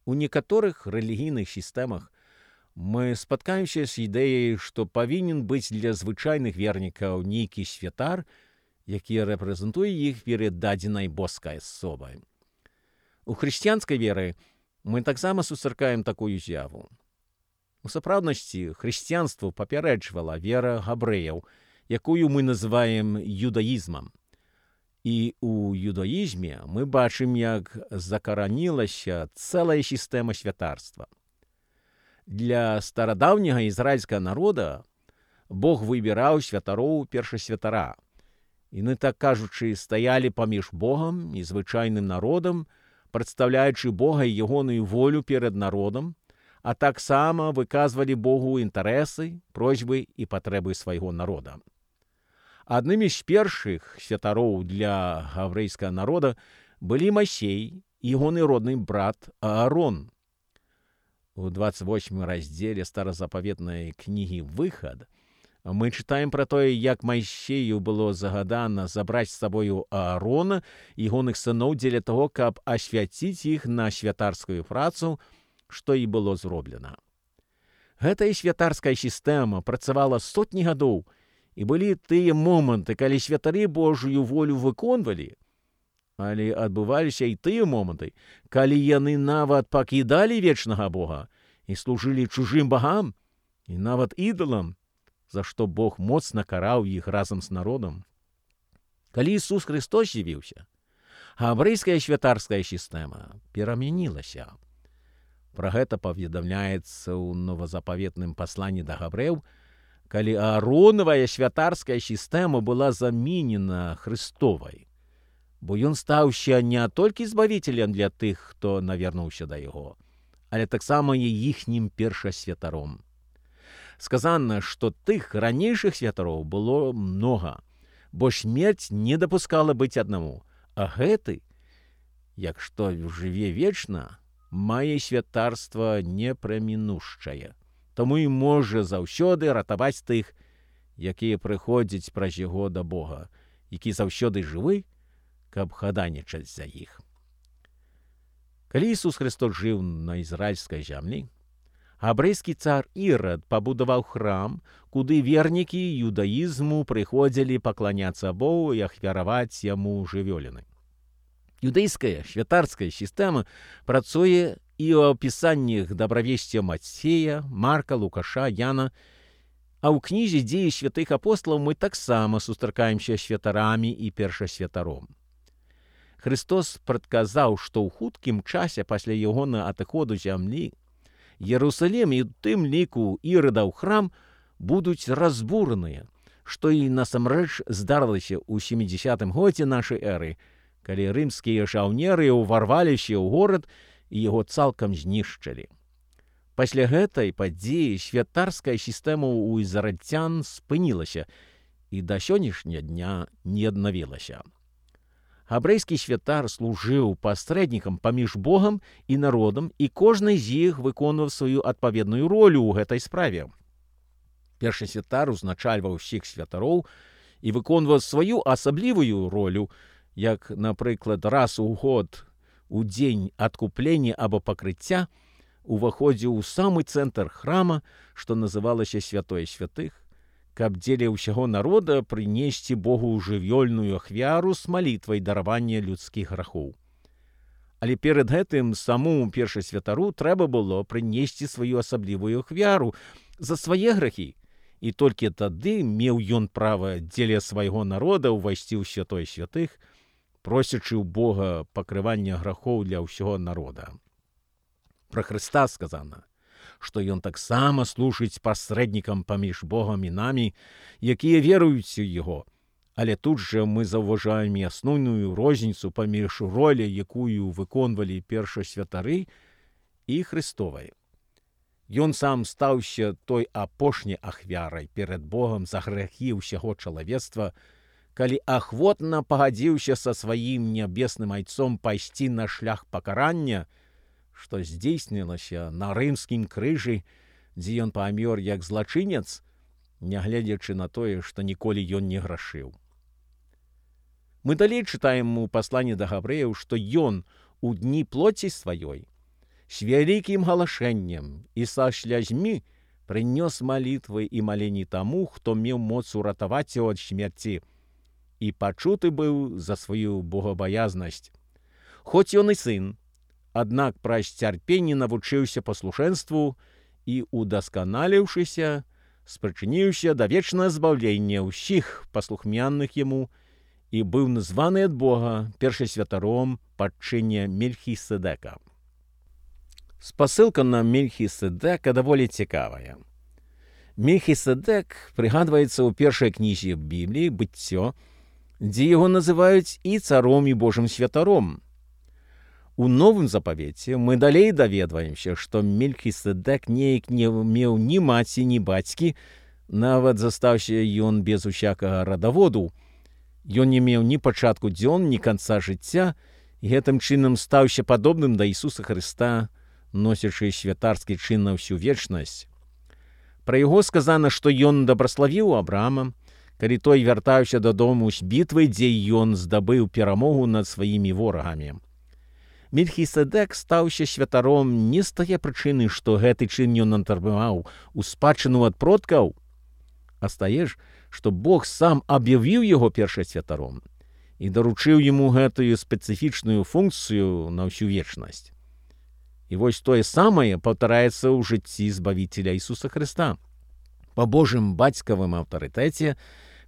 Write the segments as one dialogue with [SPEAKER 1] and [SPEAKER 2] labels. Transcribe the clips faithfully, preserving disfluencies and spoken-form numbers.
[SPEAKER 1] У некаторых рэлігійных сістэмах мы спаткаемся з ідэяй, што павінен быць для звычайных вернікаў нейкі святар, які рэпрэзентуе іх перад дадзенай боскай асобай. У хрысціянскай веры мы таксама сустракаем такую з'яву. У сапраўднасці хрысціянству папярэджвала вера габрэяў, якую мы называем юдаізмам. І ў юдаізме мы бачым, як закаранілася цэлая сістэма святарства. Для старадаўняга ізраільскага народа Бог выбіраў святароў першасвятара. Яны, так кажучы, стаялі паміж Богам і звычайным народам, прадстаўляючы Бога і ягоную волю перад народам, а таксама выказвалі Богу інтарэсы, просьбы і патрэбы свайго народа. Аднымі з першых святароў для гаврэйскага народа былі Масей і ягоны родны брат Аарон. У двадцать восьмым раздзеле старазапаветнай кнігі «Выхад» мы чытаем пра тое, як Майсею было загадана забраць з сабою Аарона і ягоных сыноў дзеля таго, каб асвяціць іх на святарскую працу, што і было зроблена. Гэтая святарская сістэма працавала сотні гадоў, і былі тыя моманты, калі святары Божую волю выконвалі, але адбываліся і тыя моманты, калі яны нават пакідалі вечнага Бога і служылі чужым багам і нават ідалам, за што Бог моцна караў іх разам з народам. Калі Ісус Христос з'явіўся, габрэйская святарская сістэма перамянілася. Пра гэта паведамляецца ў новазапаветным пасланні да габрэяў, калі Ааронавая святарская сістэма была заменена Христовай, бо ён стаўся не толькі збавіцелем для тых, хто навернуўся да яго, але таксама і іхнім першасвятаром. Сказана, што тых ранейшых святароў было многа, бо смерць не дапускала быць аднаму, а гэты, як што жыве вечна, мае святарства непрамінушчае. Таму і можа заўсёды ратаваць тых, якія прыходзяць праз яго да Бога, які заўсёды жывы, каб хадайнічаць за іх. Калі Ісус Христос жыў на ізраільскай зямлі, габрэйскі цар Ірад пабудаваў храм, куды вернікі юдаізму прыходзілі пакланяцца Богу і ахвяраваць яму жывёліны. Юдэйская святарская сістэма працуе і ў апісаннях дабравесця Мацея, Марка, Лукаша, Яна, а ў кнізе «Дзеі святых апосталаў» мы таксама сустракаемся святарамі і першасвятаром. Христос прадказаў, што ў хуткім часе пасля ягонага адыходу зямлі Ерусалем і ў тым ліку Ірадаў храм будуць разбураныя, што і насамрэч здарылася ў сямідзясятым годзе нашай эры, калі рымскія жаўнеры ўварваліся ў горад і яго цалкам знішчылі. Пасля гэтай падзеі святарская сістэма ў ізраільцян спынілася і да сённяшняга дня не аднавілася. Габрэйскі святар служыў пасрэднікам паміж Богам і народам, і кожны з іх выконваў сваю адпаведную ролю ў гэтай справе. Першы святар узначальваў усіх святароў і выконваў сваю асаблівую ролю, як, напрыклад, раз у год у дзень адкуплення або пакрыцця уваходзіў у самы цэнтр храма, што называлася святой святых, каб дзеля ўсяго народа прынесці Богу жывёльную ахвяру з малітвай даравання людскіх грахоў. Але перад гэтым самому першасвятару трэба было прынесці сваю асаблівую ахвяру за свае грахі, і толькі тады меў ён права дзеля свайго народа ўвайсці ў святой святых, просячы ў Бога пакрывання грахоў для ўсяго народа. Пра Хрыста сказана, што ён таксама служыць пасрэднікам паміж Богам і намі, якія веруюць у яго. Але тут жа мы заўважаем і асноўную розніцу паміж роляй, якую выконвалі першасвятары, і Хрыстовай. Ён сам стаўся той апошняй ахвярай перад Богам за грахі ўсяго чалавецтва, калі ахвотна пагадзіўся са сваім нябесным айцом пайсці на шлях пакарання, што здзейснілася на рымскім крыжы, дзе ён памёр як злачынец, нягледзячы на тое, што ніколі ён не грашыў. Мы далей чытаем у пасланні да габрэяў, што ён у дні плоці сваёй с великим галашэннем і са слязьмі прынёс малітвы і маленні таму, хто меў моц уратаваць яго ад смерці, і пачуты быў за сваю богабаязнасць. Хоць ён і сын, аднак праз цярпенне навучыўся паслушэнству і, удасканаліўшыся, спрычыніўся да вечнага збаўлення ўсіх паслухмянных яму і быў названы ад Бога першасвятаром пад чыне Мельхіседека. Спасылка на Мельхіседека даволі цікавая. Мельхіседек прыгадваецца ў першай кнізе Бібліі «Быццё», дзе яго называюць і царом, і Божым святаром. У Новым запавеце мы далей даведваемся, што Мельхіседек неяк не меў ні маці, ні бацькі, нават застаўся ён без усякага радаводу. Ён не меў ні пачатку дзён, ні канца жыцця, і гэтым чынам стаўся падобным да Ісуса Хрыста, носячы святарскі чын на ўсю вечнасць. Пра яго сказана, што ён дабраславіў Абрама, калі той вяртаўся дадому з бітвы, дзе ён здабыў перамогу над сваімі ворагамі. Мельхіседек стаўся святаром не з тае прычыны, што гэты чын ён атрымаў у спадчыну ад продкаў, а з тае ж, што Бог сам аб'явіў яго першасвятаром і даручыў яму гэтую спецыфічную функцыю на ўсю вечнасць. І вось тое самае паўтараецца ў жыцці збавіцеля Ісуса Хрыста. Па Божым бацькавым аўтарытэце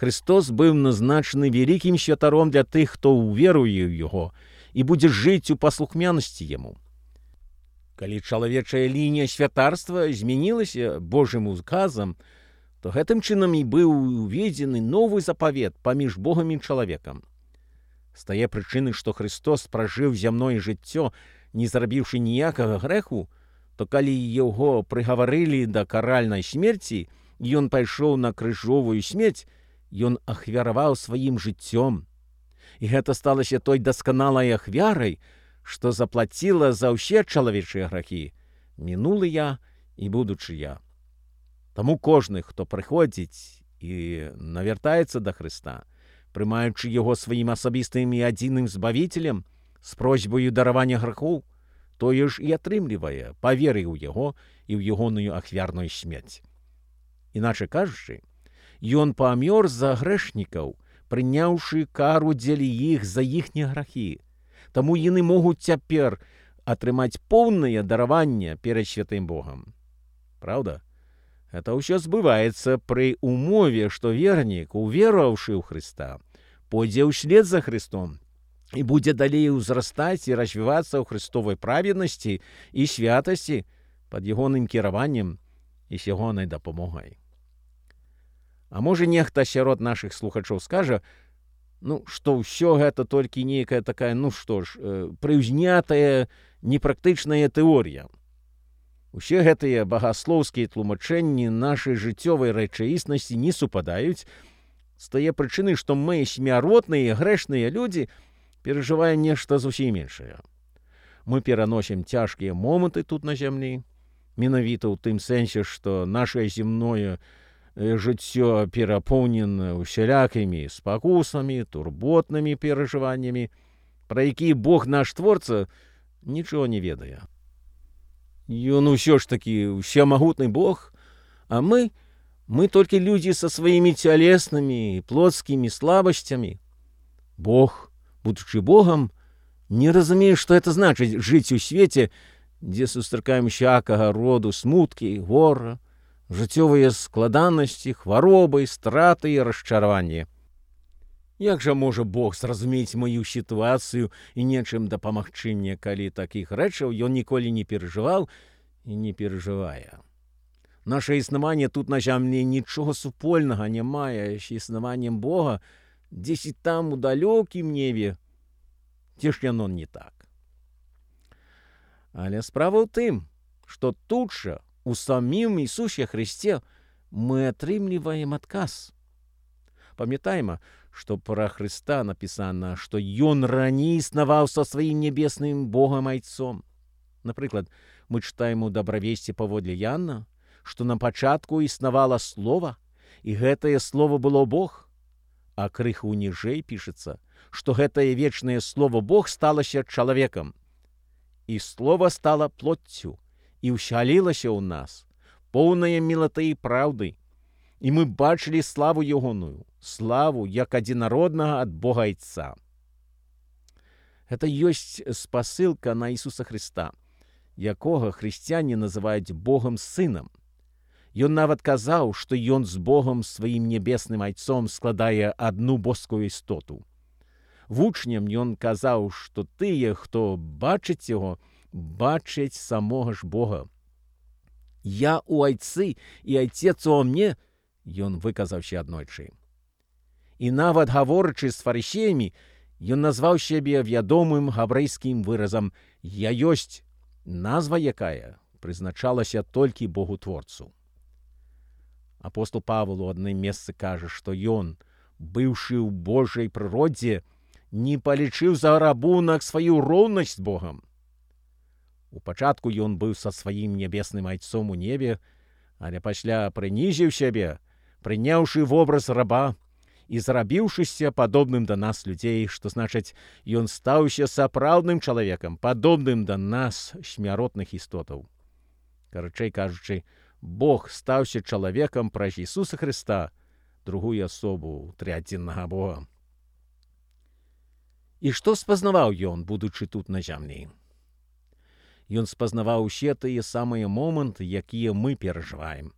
[SPEAKER 1] Христос быў назначаны вялікім святаром для тых, хто ўверуе ў яго і будзе жыць у паслухмянасці яму. Калі чалавечая лінія святарства змянілася Божым указам, то гэтым чынам і быў уведзены новы запавет паміж Богам і чалавекам. З тае прычыны, што Христос пражыў зямное жыццё, не зрабіўшы ніякага грэху, то калі яго прыгаварылі да каральнай смерці, ён пайшоў на крыжовую смерць, ён ахвяраваў сваім жыццём. І гэта сталася той дасканалай ахвярай, што заплаціла за ўсе чалавечыя грахі, мінулыя і будучыя. Таму кожны, хто прыходзіць і навяртаецца да Хрыста, прымаючы яго сваім асабістым і адзіным збавіцелем, з просьбаю даравання грахоў, тое ж і атрымлівае па веры ў яго і ў ягоную ахвярную смерць. Іначай кажучы, ён памёр за грэшнікаў, прыняўшы кару дзеля іх за іхнія грахі. Таму яны могуць цяпер атрымаць поўнае дараванне перад святым Богам. Праўда? Гэта ўсё збываецца пры умове, што вернік, увераваўшы ў Хрыста, пойдзе ўслед за Христом і будзе далей узрастаць і развівацца ў христовай праведнасці і святасці пад ягоным кіраваннем і з ягонай дапамогай. А можа, нехта сярод нашых слухачоў скажа, ну, што ўсё гэта толькі нейкая такая, ну што ж, прыўзнятая, непрактычная тэорія. Усе гэтыя багаслоўскія тлумачэнні нашай жыццёвай рэчаіснасці не супадаюць з тае прычыны, што мы, смяротныя, грэшныя людзі, перажываем нешта зусім іншае. Мы пераносім цяжкія моманты тут на зямлі, менавіта ў тым сэнсе, што нашае земное жыццё перапоўнена усялякімі спакусамі, турботнымі перажываннямі, пра якія Бог наш творца нічого не ведае. Ён усё ж такі ўсемагутны Бог, а мы, мы толькі людзі са сваімі цялеснымі і плотскімі слабасцямі. Бог, будучы Богам, не разумее, што это значыць жыць у свеце, дзе сустракаем всякага роду смуткі, гора, жыццёвыя складанасці, хваробы, страты і расчараванні. Як жа можа Бог зразумець маю сітуацыю і нечым дапамагчы мне, калі такіх рэчаў ён ніколі не перажываў і не перажывае? Наша існаванне тут на зямлі нічога супольнага не мае з існаваннем Бога, дзесьці там у далёкім небе, ці ж яно не так. Але справа ў тым, што тут жа, у самім Ісусе Христе, мы атрымліваем адказ. Памятайма, што пра Хрыста напісана, што ён раней існаваў са сваім небесным Богам Айцом. Напрыклад, мы чытаем у дабравесці паводле Яна, што на пачатку існавала Слова, і гэтае Слово было Бог, а крыху ніжэй пішацца, што гэтае вечнае Слово Бог сталася чалавекам. і слово стало плоттю, і вселилося у нас, повне милоти і правди. І ми бачили славу Йогоную, славу, як одинародного від Бога Отця. Це є спасилка на Ісуса Христа, якого християни називають Богом Сином. Ён нават казав, що Ён з Богом своїм небесним Отцом складає одну божську істоту. Вучням Ён казав, що тие, хто бачить Його, бачать самого ж Бога. «Я у Отці, і Отець у мне», Ён виказав ще однойчі. І нават говорячи з фарисеями, Ён назвав себе відомим габрейським виразом «Я єсть», назва якая призначалася тільки Богу-творцу. Апостол Павел у одним місці каже, що Ён, бивши в Божій природі, не полічив за рабунок свою рівність з Богом. У початку Ён був со своїм небесним Отцом у небі, але після принизив себе, прийнявши в образ раба і зробившися подобним до нас людей, що значить, Ён стався сапраўдним чоловіком, подобним до нас, смяротних істотів. Короче кажучи, Бог стався чоловіком праз Ісуса Христа, другую особу триєдиного Бога. І що спознавав Ён, будучи тут на землі? Ён спознавав усе тие самые моменты, якія мы переживаем.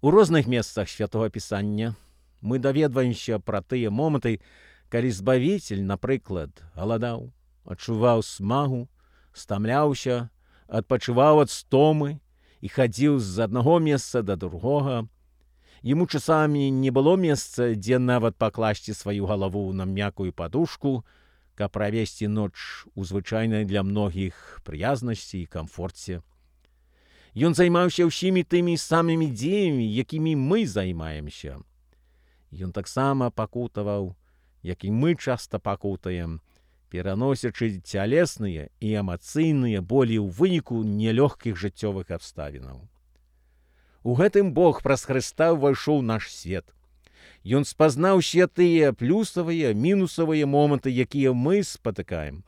[SPEAKER 1] У розных месцах Святого Писання мы даведваемся пра тыя моманты, калі Збавитель, напрыклад, галадаў, адчуваў смагу, стамляўся, адпачываў ад стомы і хадзіў з аднаго месца да другога. Яму часамі не было месца, дзе нават пакласці сваю галаву на мяккую падушку, каб правесці ноч у звычайнай для многіх прыязнасці і камфорце. Ён займаўся ўсімі тымі самымі дзеямі, якімі мы займаемся. Ён таксама пакутаваў, як і мы часта пакутаем, пераносячы цялесныя і эмацыйныя болі ў выніку нелёгкіх жыццёвых абставінаў. У гэтым Бог праз Хрыста ўвайшоў у наш свет. Ён спазнаў усе тыя плюсавыя, мінусавыя моманты, якія мы спатыкаем.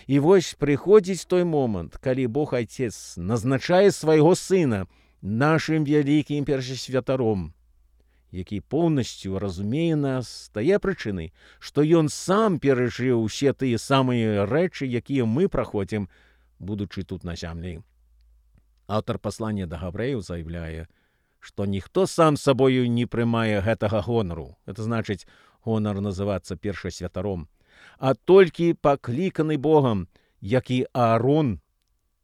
[SPEAKER 1] І вось прыходзіць той момант, калі Бог Отец назначае свайго Сына нашым вялікім першасвятаром, які поўнасцю разумее нас з тае прычыны, што Ён сам перажыў усе тыя самыя рэчы, якія мы праходзім, будучы тут на зямлі. Аўтар паслання да габрэяў заяўляе, што ніхто сам сабою не прымае гэтага гонару, это значыць гонар называцца першасвятаром, а толькі пакліканы Богам, як і Аарон,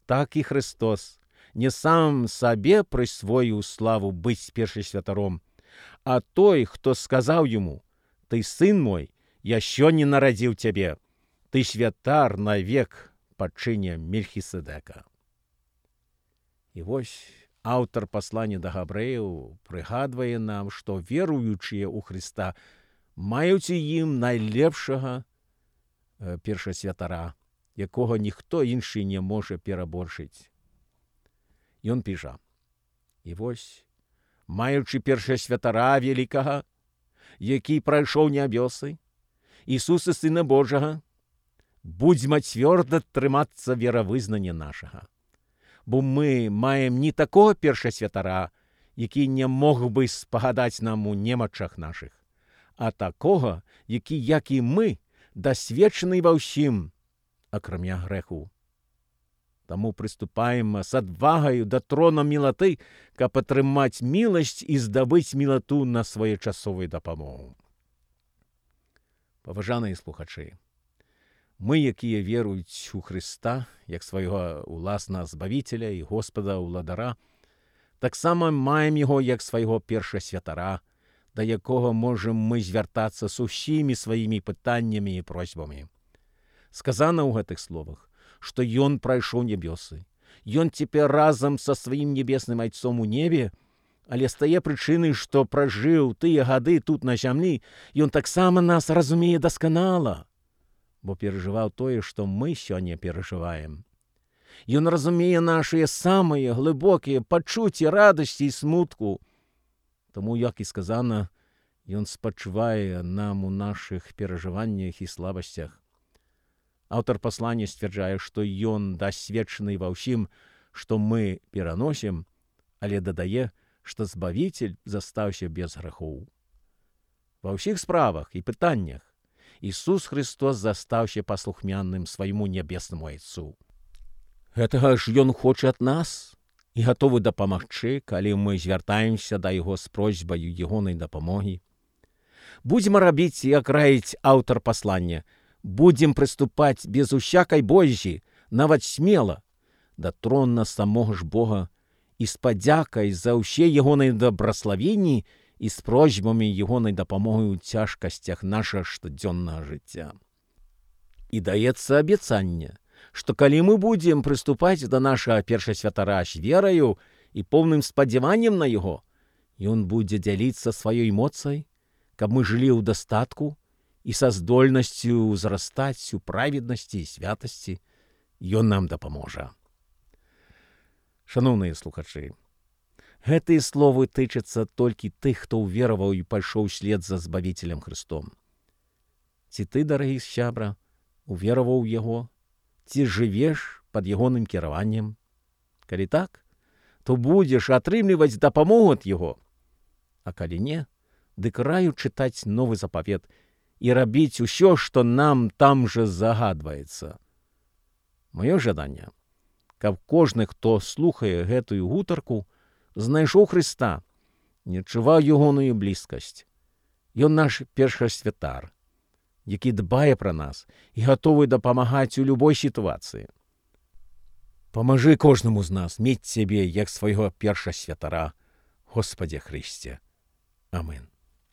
[SPEAKER 1] так і Христос, не сам сабе прысвоіў славу быць першасвятаром, а той, хто сказаў яму: «Ты сын мой, яшчэ не нарадзіў цябе, ты святар навек па чыне Мельхіседека». І вось аўтар паслання да габрэяў прыгадвае нам, што веруючыя ў Хрыста маюць у ім найлепшага э, першасвятара, якога ніхто іншы не можа пераборшыць. Ён піша: «І вось, маючы першасвятара великага, які прайшоў нябёсы, Ісуса Сына Божага, будзьма цвёрда трымацца веравызнання нашага. Бо мы маем не такого першасвятара, які не мог бы спагадаць нам у немачах нашых, а такого, які, як і мы, дасведчаны ва ўсім, акрамя грэху. Таму прыступаем з адвагаю да трона мілаты, каб атрымаць міласць і здабыць мілату на своечасовую дапамогу». Паважаныя слухачы, мы, якія веруюць у Хрыста, як свайго уласнага Збавіцеля і Господа ўладара, таксама маем яго як свайго першасвятара, да якога можам мы звяртацца з усімі сваімі пытаннямі і просьбамі. Сказана ў гэтых словах, што Ён прайшоў небёсы. Ён цяпер разам са сваім небесным Айцом у небе, але з тае прычыны, што пражыў тыя гады тут на зямлі, Ён таксама нас разумее дасканала, бо перажываў тое, што мы сёння перажываем. Ён разумее нашыя самыя глыбокія пачуцці радасці і смутку. Таму, як і сказана, Ён спачувае нам у нашых перажываннях і слабасцях. Аўтар паслання сцвярджае, што ён дасведчаны ва ўсім, што мы пераносім, але дадае, што Збавіцель застаўся без грахоў. Ва ўсіх справах і пытаннях Ісус Христос застаўся паслухмянным свайму нябеснаму Айцу. Гэтага ж Ён хоча ад нас і гатовы дапамагчы, калі мы звяртаемся да Яго з просьбаю ягонай дапамогі. Будзем рабіць, як раіць аўтар паслання, будзем прыступаць без усякай бойзі, нават смела, да трона самога ж Бога і з падзякай за ўсе ягонай дабраславенні і з просьбамі ягонай дапамогі ў цяжкасцях нашага штодзённага жыцця. І даецца абяцанне, што калі мы будзем прыступаць да нашага першасвятара з вераю і поўным спадзяваннем на яго, ён будзе дзяліцца сваёй моцай, каб мы жылі ў дастатку і са здольнасцю ўзрастаць у праведнасці і святасці, ён нам дапаможа. Шаноўныя слухачы, гэтыя словы тычацца толькі тых, хто ўвераваў і пайшоў след за Збавіцелем Христом. Ці ты, дарагі сябра, увераваў у Яго? Ці жывеш пад ягоным кіраваннем? Калі так, то будзеш атрымліваць дапамогу ад Яго. А калі не, дык раю чытаць новы запавет і рабіць усё, што нам там жа загадваецца. Маё жаданне, каб кожны, хто слухае гэтую гутарку, знайшоў Хрыста, не адчуваў ягоную блізкасць. Ён наш першасвятар, які дбае пра нас і гатовы дапамагаць у любой сітуацыі. Памажы кожнаму з нас мець цябе як свайго першасвятара, Господзе Хрысце. Амин.